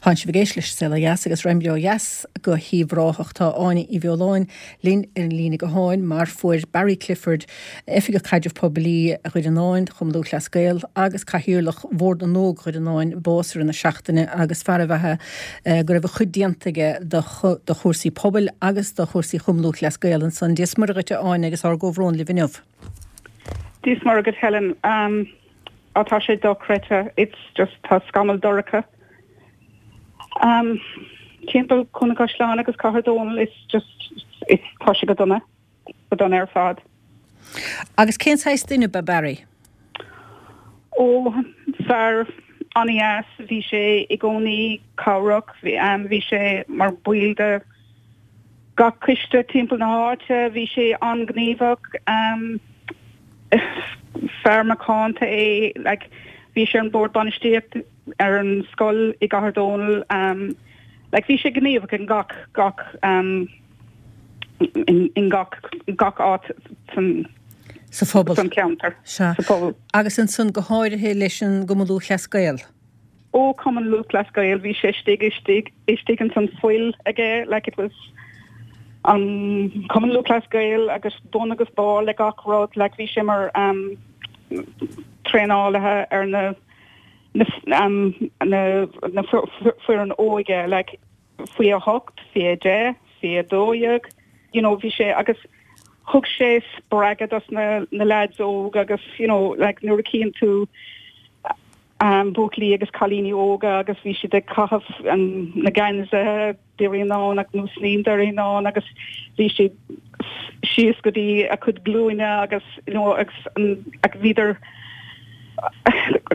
Tánn sibh ag éisteacht leis An Saol Ó Dheas agus raghaimid ó dheas go hUíbh Ráthach. Tá Áine Uí Bheoláin linn ar an líne gutháin mar fuair Barry Clifford, Oifigeach Caidrimh Poiblí Dhoire Fhionáin, Chumann Lúthchleas Gael agus Cathaoirleach Bhord na nÓg Dhoire Fhionáin bás i rith na seachtaine agus fear ab ea é go raibh a chuid déanta aige do chúrsaí pobail agus do chúrsaí Chumann Lúthchleas Gael ansan. Dia is Muire dhuit a Áine agus ár gcomhbhrón libh inniu. Dia is Muire dhuit Helen. Á tá sé dochreidte, it's just tá scamall dorcha timpeall Cluain an Chaisleáin agus Cathair Dónall, it's just it's tá sé go dona, go dona ar fad. Agus cén saghas duine ab ea Barry? Ó, fear an-dheas, bhí sé i gcónaí cabhrach, bhí sé mar baill de gach coiste timpeall na háite, bhí sé an-ghníomhach, fear macánta é, like bhí sé ar an bord bainistíocht ar an scoil i gCathair Dónall, like bhí sé gníomhach in gach, gach, in gach, gach áit san, Sa phobal. san cheantar, Sea. sa phobal. Agus ansan go háirithe leis an gCumann Lúthchleas Gael. Ó Cumann Lúthchleas Gael bhí sé istigh istigh istigh ins an fuil aige like it was an Cumann Lúthchleas Gael agus bun agus barr le gach rud like bhí sé mar um traenálaithe ar na na um na na foireann óige like faoi 8, faoi 10, faoi 12, you know, bhí sé agus thug sé spreagadh dos na na lads óg agus you know like nuair a chíonn tú um buachaillí agus cailíní óga agus bhí siad ag caitheamh an na geansaithe Doire Fhionáin agus nó sna Doire Fhionáin agus bhí siad síos go dtí a cuid glúine agus you know agus an agus bhíodar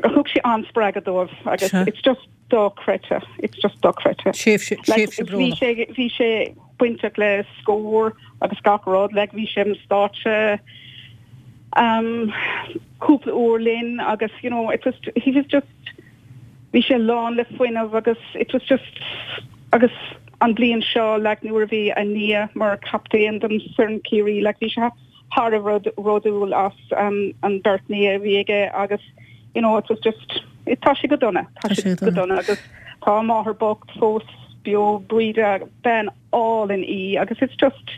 thug sé an-spreagadh dóibh agus it's just dochreidte. It's just dochreidte. Tréimhse, tréimhse brónach. Bhí sé, bhí sé bainteach le Scór agus gach rud, like bhí sé ar an stáitse um, cúpla uair linn agus you know, it was, he was just, bhí sé lán le fuinneamh agus it was just, agus an bliain seo like nuair a bhí a nia mar captaen don foireann Ciarraí, like bhí sé thar a bheith bródúil as an beirt nia a bhí aige agus you know it was just it tá sé go dona, tá sé go dona agus tá a máthair bocht fós beo Bríde bean álainn í agus it's just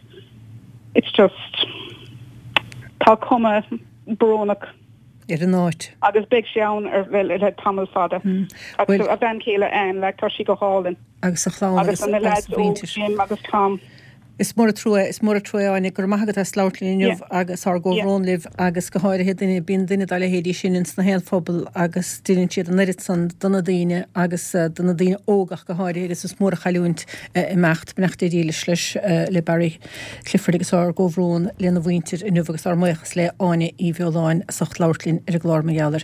it's just tá cuma brónach ar an áit. Agus beidh sé ann ar le tamall fada. Agus a bhean chéile Anne like tá sí go hálainn. Agus a chlann agus na lads óg Jim agus Tom. Is mór an trua, is mór an trua é Áine. Go raibh maith agat as labhairt linn inniu agus ár gcomhbhrón libh agus go háirithe duine, bíonn duine dá leithéidí sin ins na haon phobal agus deineann siad an oiread san do na daoine agus do na daoine óga ach go háirithe agus is mór an chailliúint a imeacht. Beannacht Dé dhílis leis, le Barry Clifford agus ár gcomhbhrón lena mhuintir inniu agus ár mbuíochas le Áine Uí Bheoláin as ucht labhairt linn ar an gclár mar gheall air.